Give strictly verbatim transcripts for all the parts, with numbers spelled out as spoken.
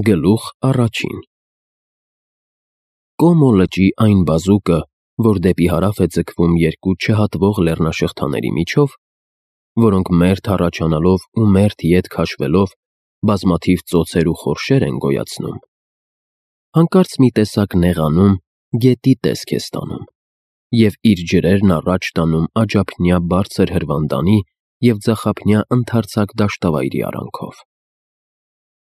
Գլուխ առաջին Կոմո լճի այն բազուկը, որ դեպի հարավ է ձգվում երկու չհատվող լեռնաշղթաների միջով, որոնք մերթ առաջանալով ու մերթ ետ քաշվելով բազմաթիվ ծոցեր ու խորշեր են գոյացնում, հանկարծ մի տեսակ նեղանում, գետի տեսք է ստանում և իր ջրերն առաջ տանում աջափնյա բարձր հրվանդանի և ձախափնյա ընդարձակ դաշտավայրի արանքով։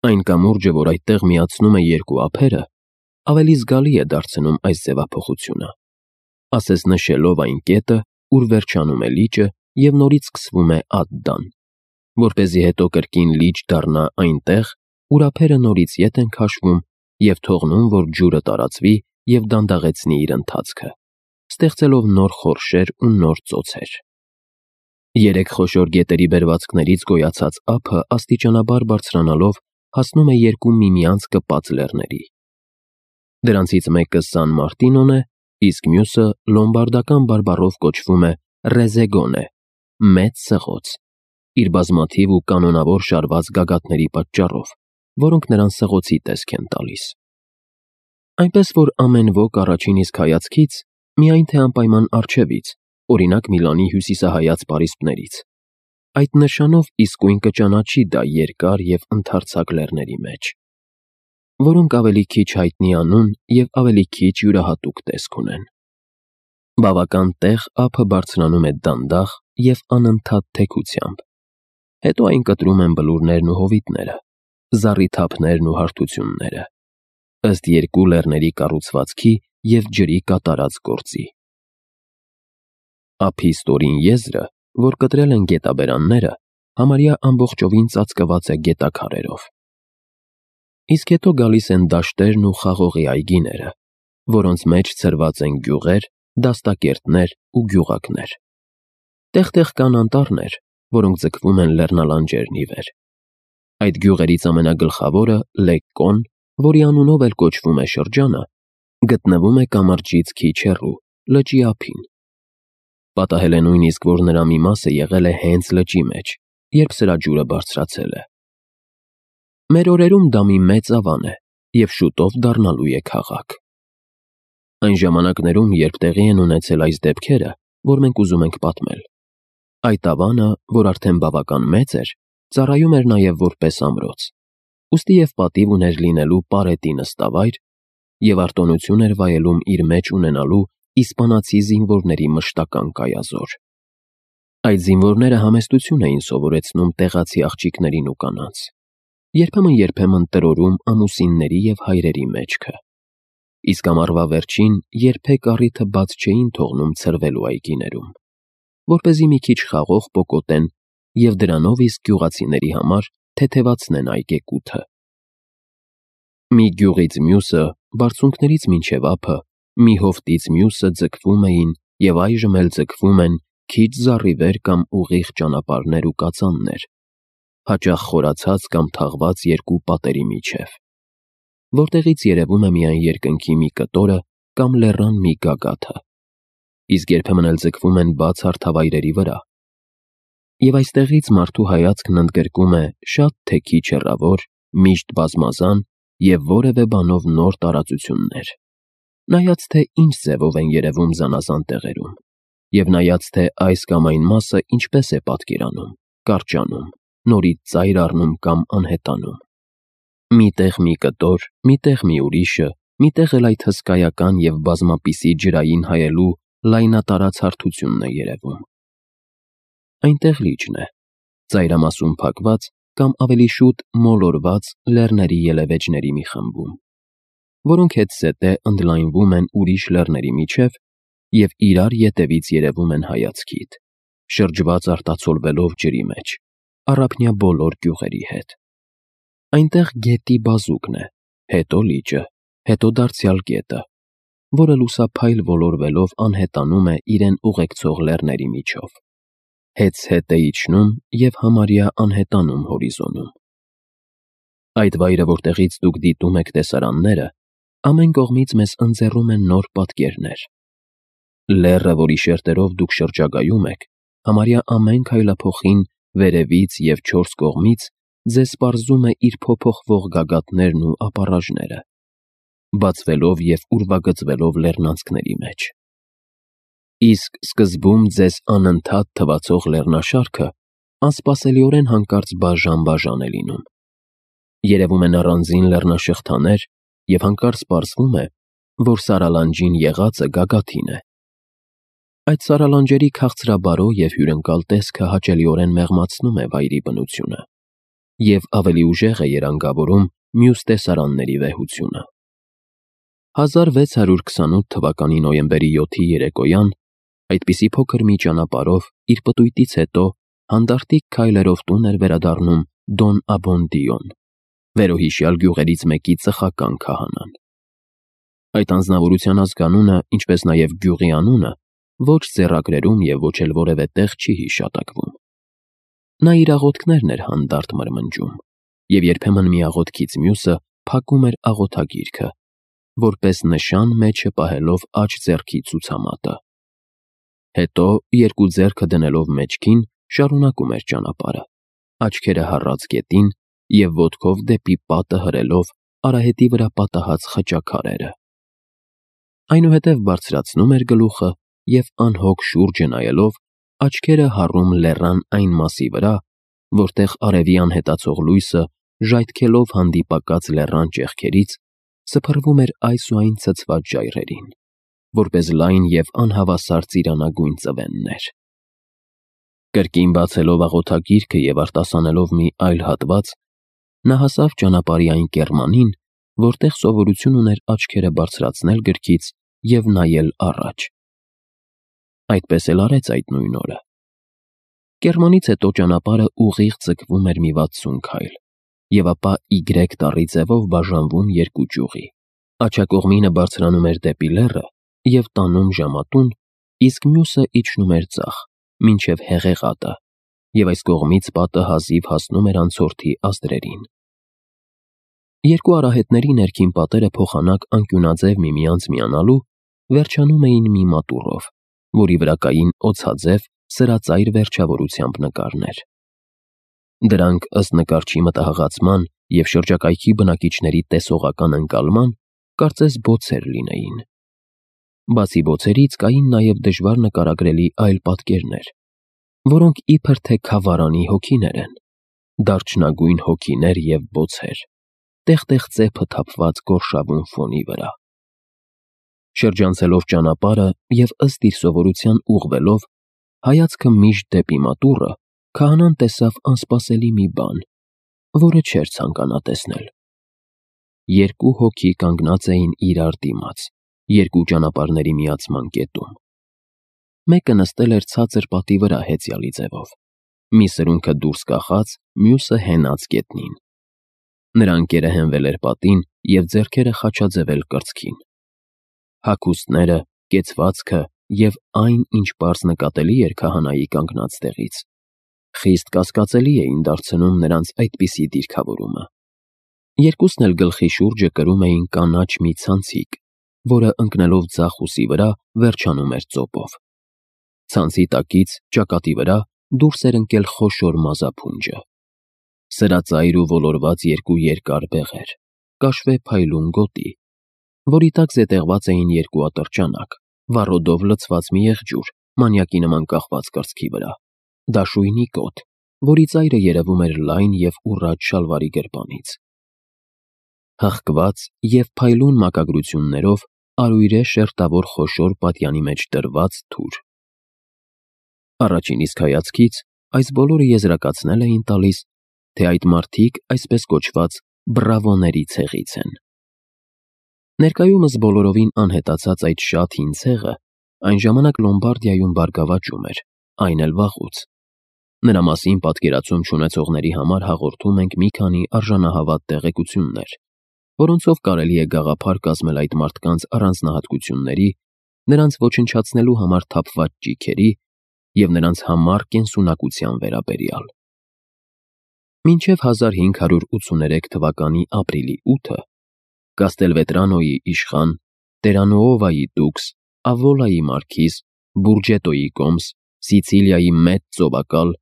Այն կամուրջը, որ այդտեղ միացնում է երկու ափերը, ավելի զգալի է դարձնում այս ձևափոխությունը, ասես նշելով այն կետը, ուր վերջանում է լիճը և նորից սկսվում է Ադդան, որպեսզի հետո կրկին լիճ դառնա այնտեղ, ուր ափերը նորից ետ են քաշվում և թողնում, որ ջուրը տարածվի և դանդաղեցնի իր ընթացքը, ստեղծելով նոր խորշեր ու նոր ծոցեր։ Երեք խոշոր գետերի բերվածքներից գոյացած ափը աստիճանաբար բարձրանալով հասնում է երկու միմյանց կպած լեռների։ Դրանցից մեկը Սան Մարտինոն է, իսկ մյուսը լոմբարդական բարբառով կոչվում է Ռեզեգոն է, մեծ սղոց, իր բազմաթիվ ու կանոնավոր շարված գագաթների պատճառով, որոնք նրան սղոցի տեսք են տալիս։ Այնպես որ ամեն ոք առաջին իսկ հայացքից, միայն թե անպայման առջևից, օրինակ Միլանի հյուսիսահայաց պարիսպներից, այդ նշանով իսկույն կճանաչի դա երկար և ընդարձակ լեռների մեջ, որոնք ավելի քիչ հայտնի անուն և ավելի քիչ յուրահատուկ տեսք ունեն։ Բավական տեղ ափը բարձրանում է դանդաղ և անընդհատ թեքությամբ, հետո այն կտրում են բլուրներն ու հովիտները, զառիթափներն ու հարթությունները, ըստ երկու լեռների կառուցվածքի և ջրի կատարած գործի։ Ափի ստորին եզրը, որ կտրել են գետաբերանները, համարյա ամբողջովին ծածկված է գետաքարերով։ Իսկ հետո գալիս են դաշտերն ու խաղողի այգիները, որոնց մեջ ցրված են գյուղեր, դաստակերտներ ու գյուղակներ։ Տեղ-տեղ կան անտառներ, որոնք ձգվում են լեռնալանջերն ի վեր։ Այդ գյուղերից ամենագլխավորը Լեկկոն, որի անունով էլ կոչվում է շրջանը, գտնվում է կամրջից քիչ հեռու, լճի ափին։ Պատահել է նույնիսկ, որ նրա մի մասը եղել է հենց լճի մեջ, երբ սրա ջուրը բարձրացել է։ Մեր օրերում դա մի մեծ ավան է և շուտով դառնալու է քաղաք։ Այն ժամանակներում, երբ տեղի են ունեցել այս դեպքերը, որ մենք ուզում ենք պատմել, այդ ավանը, որ արդեն բավական մեծ էր, ծառայում էր նաև որպես ամրոց, ուստի և պատիվ ուներ լինելու պարետի նստավայր և արտոնություն էր վայելում իր մեջ ունենալու իսպանացի զինվորների մշտական կայազոր։ Այդ զինվորները համեստություն էին սովորեցնում տեղացի աղջիկներին ու կանանց, երբեմն-երբեմն տրորում ամուսինների և հայրերի մեջքը, իսկ ամառվա վերջին երբեք առիթը բաց չէին թողնում ցրվելու այգիներում, որպեսզի մի քիչ խաղող պոկոտեն և դրանով իսկ գյուղացիների համար թեթևացնեն այգեկութը։ Մի գյուղից մյուսը, բարձունքներից մինչև ափը, մի հովտից մյուսը ձգվում էին և այժմ էլ ձգվում են քիչ զառիվեր կամ ուղիղ ճանապարհներ ու կածաններ, հաճախ խորացած կամ թաղված երկու պատերի միջև, որտեղից երևում է միայն երկնքի մի կտորը կամ լեռան մի գագաթը, իսկ երբեմն էլ ձգվում են բաց հարթավայրերի վրա։ Եվ այստեղից մարդու հայացքն ընդգրկում է շատ թե քիչ հեռավոր, միշտ բազմազան և որևէ բանով նոր տարածություններ, նայած թե ինչ ձևով են երևում զանազան տեղերում, և նայած թե այս կամ այն մասը ինչպես է պատկերանում, կարճանում, նորից ծայր առնում կամ անհետանում։ Մի տեղ մի կտոր, մի տեղ մի ուրիշը, մի տեղ էլ այդ հսկայական և բազմապիսի ջրային հայելու լայնատարած հարթությունն է երևում։ Այնտեղ լիճն է, ծայրամասում փակված կամ ավելի շուտ մոլորված լեռների ելևէջների մի խմբում, որոնք հետզհետե ընդլայնվում են ուրիշ լեռների միջև և իրար ետևից երևում են հայացքիդ, շրջված արտացոլվելով ջրի մեջ, առափնյա բոլոր գյուղերի հետ։ Այնտեղ գետի բազուկն է, հետո լիճը, հետո դարձյալ գետը, որը լուսափայլ ոլորվելով անհետանում է իրեն ուղեկցող լեռների միջով, հեծհետ է իջնում և համարյա անհետանում հորիզոնում։ Այդ վայրը, որտեղից դուք դիտում եք տեսարանները, ամեն կողմից մեզ ընձեռում է նոր պատկերներ։ Լեռը, որի շերտերով դուք շրջագայում եք, համարյա ամեն քայլափոխին վերևից և չորս կողմից ձեզ պարզում է իր փոփոխվող գագաթներն ու ապառաժները, բացվելով և ուրվագծվելով լեռնանցքների մեջ։ Իսկ սկզբում ձեզ անընդհատ թվացող լեռնաշարքը անսպասելիորեն հանկարծ բաժան-բաժան է լինում։ Երևում են առանձին լեռնաշղթաներ և հանկարծ պարզվում է, որ սարալանջին եղածը գագաթին է։ Այդ սարալանջերի քաղցրաբարո և հյուրընկալ տեսքը հաճելիորեն մեղմացնում է վայրի բնությունը և ավելի ուժեղ է երանգավորում մյուս տեսարանների վեհությունը։ հազար վեց հարյուր քսանութ թվականի նոյեմբերի յոթի երեկոյան այդպիսի փոքր մի ճանապարհով իր պտույտից հետո հանդարտիկ քայլերով տուն էր վերադառնում Դոն Աբոնդիոն, վերոհիշյալ գյուղերից մեկի ծխական քահանան։ Այդ անձնավորության ազգանունը, ինչպես նաև գյուղի անունը, ոչ ձեռագրերում և ոչ էլ որևէ տեղ չի հիշատակվում։ Նա իր աղոթքներն էր հանդարտ մրմնջում, և երբեմն մի աղոթքից մյուսը փակում էր աղոթագիրքը, որպես նշան մեջը պահելով աջ ձեռքի ցուցամատը։ Հետո, երկու ձեռքը դնելով մեջքին, շարունակում էր ճանապարհը, աչքերը հառած գետին և ոտքով դեպի պատը հրելով արահետի վրա պատահած խճաքարերը։ Այնուհետև բարձրացնում էր գլուխը և անհոգ շուրջը նայելով, աչքերը հառում լեռան այն մասի վրա, որտեղ արևի անհետացող լույսը, ժայթքելով հանդիպակաց լեռան ճեղքերից, սփռվում էր այս ու այն ցցված ժայռերին, որպես լայն և անհավասար ծիրանագույն ծվեններ։ Կրկին բացելով աղոթագիրքը և արտասանելով մի այլ հատված, նա հասավ ճանապարհի այն կեռմանին, որտեղ սովորություն ուներ աչքերը բարձրացնել գրքից և նայել առաջ։ Այդպես էլ արեց այդ նույն օրը։ Կեռմանից հետո ճանապարհը ուղիղ ձգվում էր մի վաթսուն քայլ, և ապա Y տառի ձևով բաժանվում երկու ճյուղի։ Աջակողմինը բարձրանում էր դեպի լեռը և տանում ժամատուն, իսկ մյուսը իջնում էր ձախ, մինչև Հեղեղատը, և այս կողմից պատը հազիվ հասնում էր անցորդի ազդրերին։ Երկու արահետների ներքին պատերը փոխանակ անկյունաձև միմյանց միանալու վերջանում էին մի մատուռով, որի վրա կային օձաձև, սրածայր վերջավորությամբ նկարներ։ Դրանք, ըստ նկարչի մտահղացման և շրջակայքի բնակիչների տեսողական ընկալման, կարծես բոցեր լինեին։ Բացի բոցերից կային նաև դժվար նկարագրելի այլ պատկերներ, որոնք իբր թե քավարանի հոգիներ են, դարչնագույն հոգիներ և բոցեր, տեղ-տեղ ծեփը թափված գորշավուն ֆոնի վրա։ Շրջանցելով ճանապարհը և ըստ իր սովորության ուղղվելով, հայացքը միշտ դեպի մատուռը, քահանան տեսավ անսպասելի մի բան, որը չէր ցանկանա տեսնել։ Երկու հոգի կանգնած էին իրար դիմաց, երկու ճանապարհների միացման կետում։ Մեկը նստել էր ցածր պատի վրա հեծյալի ձևով, մի սրունքը դուրս կախած, մյուսը հենած գետնին։ Նրա ընկերը հենվել էր պատին և ձեռքերը խաչաձևել կրծքին։ Հագուստները, կեցվածքը և այն, ինչ պարզ նկատելի էր քահանայի կանգնած տեղից, խիստ կասկածելի էին դարձնում նրանց այդպիսի դիրքավորումը։ Երկուսն էլ գլխի շուրջը կրում էին կանաչ մի ցանցիկ, որը ընկնելով ձախ ուսի վրա, վերջանում էր ծոպով։ Ցանցի տակից, ճակատի վրա, դուրս էր ընկել խոշոր մազափունջը։ Սրածայր ու ոլորված երկու երկար բեղեր, կաշվե փայլուն գոտի, որի տակ զետեղված էին երկու ատրճանակ, վառոդով լցված մի եղջյուր, մանյակի նման կախված կրծքի վրա, դաշույնի կոթ, որի ծայրը երևում էր լայն և ուռած շալվարի գրպանից։ Հղկված և փայլուն մակագրություններով արույրե շերտավոր խոշոր պատյանի մեջ դրված թուր։ Առաջին իսկ հայացքից այս բոլորը եզրակացնել էին տալիս, թե այդ մարդիկ այսպես կոչված բրավոների ցեղից են։ Ներկայումս բոլորովին անհետացած այդ շատ հին ցեղը այն ժամանակ Լոմբարդիայում բարգավաճում էր, այն էլ վաղուց։ Նրա մասին պատկերացում չունեցողների համար հաղորդում ենք մի քանի արժանահավատ տեղեկություններ, որոնցով կարելի է գաղափար կազմել այդ մարդկանց առանձնահատկությունների, նրանց ոչնչացնելու համար թափված ճիգերի և նրանց համառ կենսունակության վերաբերյալ։ Մինչև հազար հինգ հարյուր ութսուներեք թվականի ապրիլի ութը Կաստելվետրանոյի իշխան, Տերանուովայի դուքս, Ավոլայի մարքիզ, Բուրջետոյի կոմս, Սիցիլիայի մեծ ծովակալ,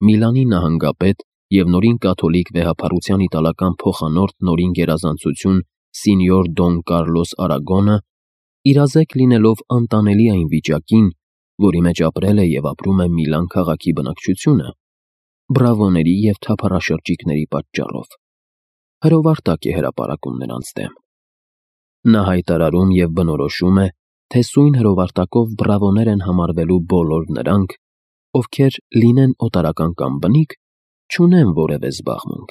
Միլանի նահանգապետ և նորին կաթոլիկ վեհափառության իտալական փոխանորդ նորին գերազանցություն Սինյոր Դոն Կարլոս Արագոնը, իրազեկ լինելով անտանելի այն վիճակին, որի մեջ ապրել է և ապրում է Միլան քաղաքի բնակչությունը, բրավոների և թափառաշրջիկների պատճառով հրովարտակ է հրապարակում նրանց դեմ։ Նա հայտարարում և բնորոշում է, թե սույն հրովարտակով բրավոներ են համարվելու բոլոր նրանք, ովքեր լինեն օտարական կամ բնիկ, չունեն որևէ զբաղմունք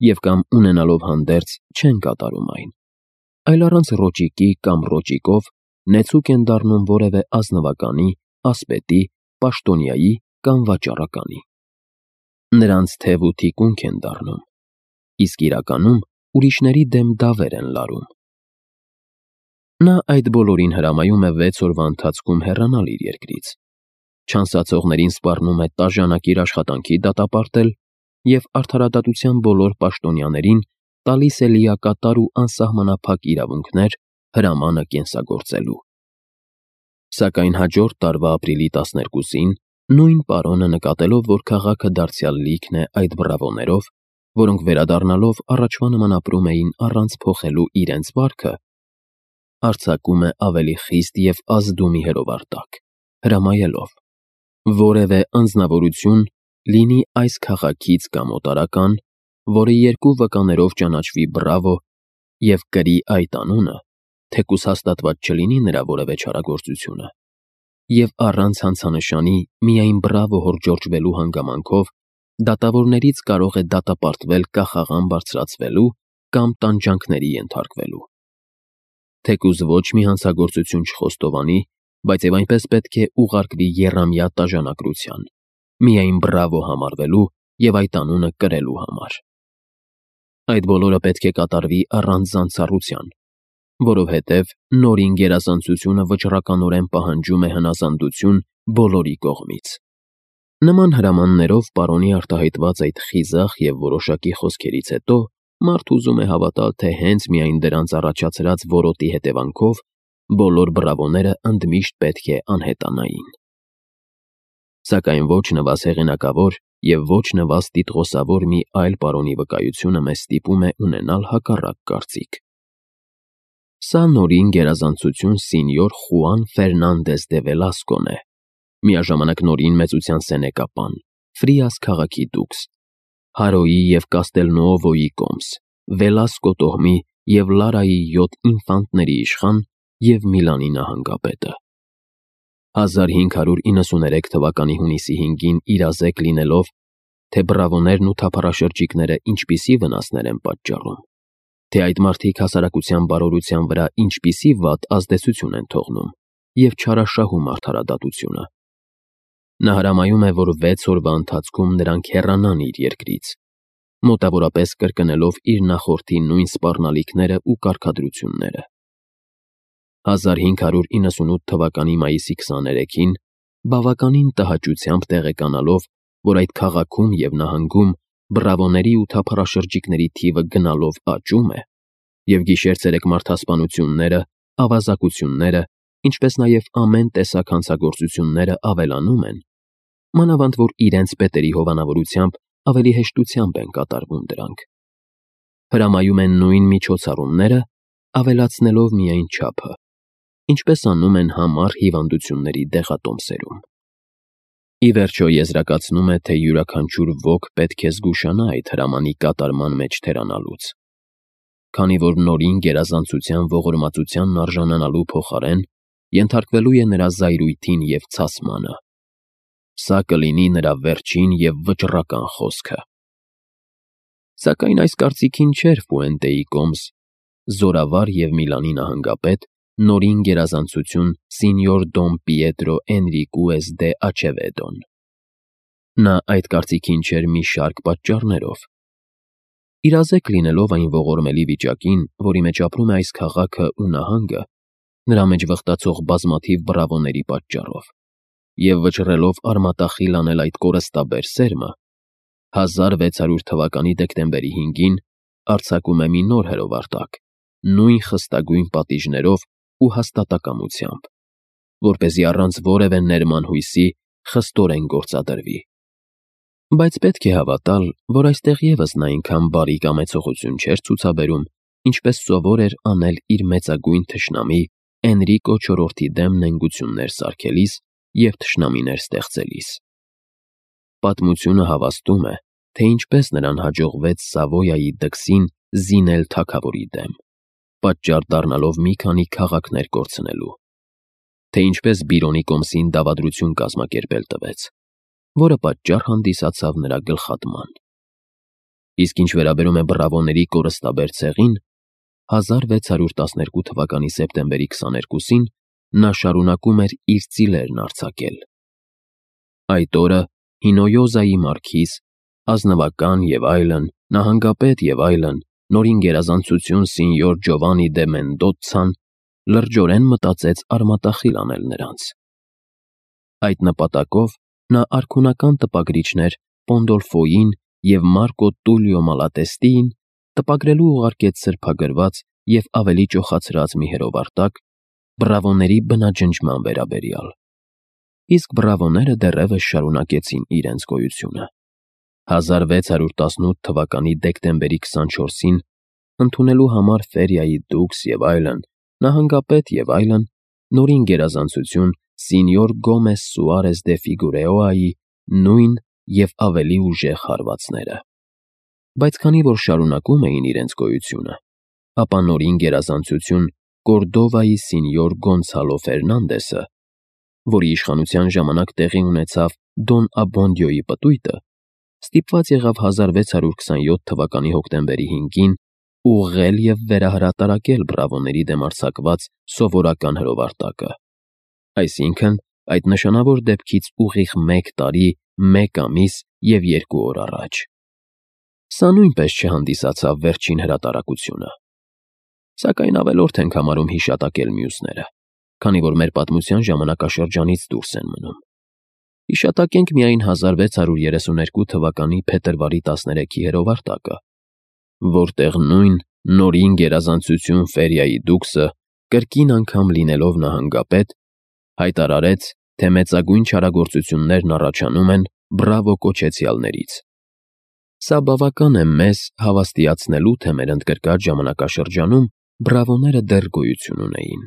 և կամ ունենալով հանդերձ չեն կատարում այն, այլ առանց ռոճիկի կամ ռոճիկով նեցուկ են դառնում որևէ ազնվականի, ասպետի, պաշտոնյայի կամ վաճառականի։ Նրանց թև ու թիկունք են դառնում, իսկ իրականում ուրիշների դեմ դավեր են լարում։ Նա այդ բոլորին հրամայում է վեց օրվա ընթացքում հեռանալ իր երկրից, չանսացողներին սպառնում է տաժանակիր աշխատանքի դատապարտել և արդարադատության բոլոր պաշտոնյաներին տալիս է լիակատար ու անսահմանափակ իրավունքներ հրամանը կենսագործելու։ Սակայն հաջորդ տարվա ապրիլի տասներկուսին նույն պարոնը նկատելով, որ քաղաքը դարձյալ լիքն է այդ բրավոներով, որոնք վերադառնալով առաջվա նման ապրում էին առանց փոխելու իրենց վարքը, արձակում է ավելի խիստ և ազդումի հրովարտակ, հրամայելով. որևէ անձնավորություն, լինի այս քաղաքից կամ օտարական, որը երկու վկաներով ճանաչվի բրավո և կրի այդ անունը, թեկուզ հաստատված չլինի նրա որևէ չարագործությունը, և առանց հանցանշանի միայն բրավո հորդորժվելու հանգամանքով դատավորներից կարող է դատապարտվել կախաղան բարձրացվելու կամ տանջանքների ենթարկվելու։ Թեկուզ ոչ մի հանցագործություն չխոստովանի, բայց և այնպես պետք է ուղարկվի եռամյա տաժանակրության, միայն բրավո համարվելու և այդ անունը կրելու համար։ Այդ բոլորը պետք է կատարվի առանց զանցառության, որովհետև նորին գերազանցությունը վճռականորեն պահանջում է հնազանդություն բոլորի կողմից։ Նման հրամաններով պարոնի արտահայտված այդ խիզախ և որոշակի խոսքերից հետո մարդ ուզում է հավատալ, թե հենց միայն դրանց առաջացրած որոտի հետևանքով բոլոր բրավոները ընդմիշտ պետք է անհետանային։ Սակայն ոչ նվազ հեղինակավոր և ոչ նվազ տիտղոսավոր մի այլ պարոնի վկայությունը մեզ ստիպում է ունենալ հակառակ կարծիք։ Սա նորին գերազանցություն Սինյոր Խուան Ֆերնանդես դե Վելասկոն է, միաժամանակ նորին մեծության սենեկապան, Ֆրիաս քաղաքի դուքս, Հարոյի և Կաստելնուովոյի կոմս, Վելասկո տոհմի և Լարայի յոթ ինֆանտների իշխան և Միլանի նահանգապետը։ հազար հինգ հարյուր իննսուներեք թվականի հունիսի հինգին իրազեկ լինելով, թե բրավոներն ու թափառաշրջիկները ինչպիսի վնասներ են պատճառում, թե այդ մարդիկ հասարակության բարօրության վրա ինչպիսի վատ ազդեցություն են թողնում և չարաշահում արդարադատությունը։ Նա հրամայում է, որ վեց օրվա ընթացքում նրանք հեռանան իր երկրից, մոտավորապես կրկնելով իր նախորդի նույն սպառնալիքները ու կարգադրությունները։ հազար հինգ հարյուր իննսունութ թվականի մայիսի քսաներեքին, բավականին տհաճությամբ տեղեկանալով, որ այդ քաղաքում և նահանգում բրավոների ու թափառաշրջիկների թիվը գնալով աճում է, և գիշեր-ցերեկ մարդասպանությունները, ավազակությունները, ինչպես նաև ամեն տեսակ հանցագործությունները ավելանում են, մանավանդ որ իրենց պետերի հովանավորությամբ ավելի հեշտությամբ են կատարվում դրանք, հրամայում են նույն միջոցառումները, ավելացնելով միայն չափը, ինչպես անում են համառ հիվանդությունների դեղատոմսերում։ Ի վերջո եզրակացնում է, թե յուրաքանչյուր ոք պետք է զգուշանա այդ հրամանի կատարման մեջ թերանալուց, քանի որ նորին գերազանցության ողորմածությանն արժանանալու փոխարեն ենթարկվելու է նրա զայրույթին և ցասմանը։ Սա կլինի նրա վերջին և վճռական խոսքը։ Սակայն այս կարծիքին չէր Ֆուենտեի կոմս, զորավար և Միլանի նահանգապետ, նորին գերազանցություն Սինյոր Դոն Պիետրո Էնրիկուես դե Աչևեդոն։ Նա այդ կարծիքին չէր մի շարք պատճառներով։ Իրազեկ լինելով այն ողորմելի վիճակին, որի մեջ ապրում է այս քաղաքը ու նահանգը, նրա մեջ վխտացող բազմաթիվ բրավոների պատճառով, և վճռելով արմատախիլ անել այդ կորստաբեր սերմը, հազար վեց հարյուր թվականի դեկտեմբերի հինգին արձակում է մի նոր հրովարտակ, նույն խստագույն պատիժներով ու հաստատակամությամբ, որպեսզի առանց որևէ ներման հույսի խստորեն գործադրվի։ Բայց պետք է հավատալ, որ այստեղ ևս նա այնքան բարի կամեցողություն չէր ցուցաբերում, ինչպես սովոր էր անել իր մեծագույն թշնամի Էնրիկո չորրորդի դեմ նենգություններ սարքելիս և թշնամիներ ստեղծելիս։ Պատմությունը հավաստում է, թե ինչպես նրան հաջողվեց Սավոյայի դքսին զինել թագավորի դեմ, պատճառ դառնալով մի քանի քաղաքներ կորցնելու, թե ինչպես Բիրոնի կոմսին դավադրություն կազմակերպել տվեց, որը պատճառ հանդիսացավ նրա գլխատման։ Իսկ ինչ վերաբերում է բռավոների կորստաբեր ցեղին, հազար վեց հարյուր տասներկու թվականի սեպտեմբերի քսաներկուսին նա շարունակում էր իր ծիլերն արձակել։ Այդ օրը Հինոյոզայի մարքիզ, ազնվական և այլն, նահանգապետ և այլն, նորին գերազանցություն Սինյոր Ջովանի դե Մենդոցան լրջորեն մտածեց արմատախիլ անել նրանց։ Այդ նպատակով նա արքունական տպագրիչներ Պոնդոլֆոյին և Մարկո Տուլիո Մալատեստիին տպագրելու ուղարկեց սրբագրված և ավելի ճոխացրած մի հրովարտակ բռավոների բնաջնջման վերաբերյալ, իսկ բռավոները դեռևս շարունակեցին իրենց գոյությունը։ հազար վեց հարյուր տասնութ թվականի դեկտեմբերի քսանչորսին ընդունելու համար Ֆերիայի դուքս և այլն, նահանգապետ և այլն, նորին գերազանցություն Սինյոր Գոմես Սուարես դե Ֆիգուրեոյի նույն և ավելի ուժեղ հարվածները։ Բայց քանի որ շարունակում էին իրենց գոյությունը, ապա նորին գերազանցություն Կորդովայի Սինյոր Գոնցալո Ֆերնանդեսը, որի իշխանության ժամանակ տեղի ունեցավ Դոն Աբոնդիոյի պտույտը, ստիպված եղավ հազար վեց հարյուր քսանյոթ թվականի հոկտեմբերի հինգին ուղղել և վերահրատարակել բռավոների դեմ արձակված սովորական հրովարտակը, այսինքն՝ այդ նշանավոր դեպքից ուղիղ մեկ տարի, մեկ ամիս և երկու օր առաջ։ Սա նույնպես չհանդիսացավ վերջին հրատարակությունը։ Սակայն ավելորդ ենք համարում հիշատակել մյուսները, քանի որ մեր պատմության ժամանակաշրջանից դուրս են մնում։ Հիշատակենք միայն հազար վեց հարյուր երեսուներկու թվականի փետրվարի տասներեքի հրովարտակը, որտեղ նույն նորին գերազանցություն Ֆերիայի դուքսը, կրկին անգամ լինելով նահանգապետ, հայտարարեց, թե մեծագույն չարագործություններն առաջանում են բռավո կոչեցյալներից։ Սա բավական է մեզ հավաստիացնելու, թե մեր ընդգրկած ժամանակաշրջանում բռավոները դեռ գոյություն ունեին։